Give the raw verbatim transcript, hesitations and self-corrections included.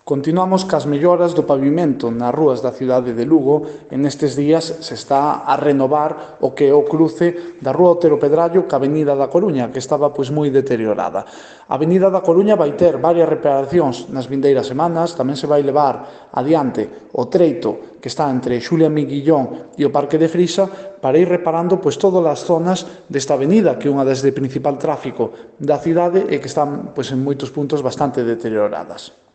Continuamos cas melloras do pavimento nas rúas da cidade de Lugo e nestes días se está a renovar o que é o cruce da rúa Otero Pedrallo ca Avenida da Coruña, que estaba pois moi deteriorada. A Avenida da Coruña vai ter varias reparacións nas vindeiras semanas, tamén se vai levar adiante o treito que está entre Xulia Miguillón e o Parque de Frisa para ir reparando pois todas as zonas desta avenida, que é unha das de principal tráfico da cidade e que están pois en moitos puntos bastante deterioradas.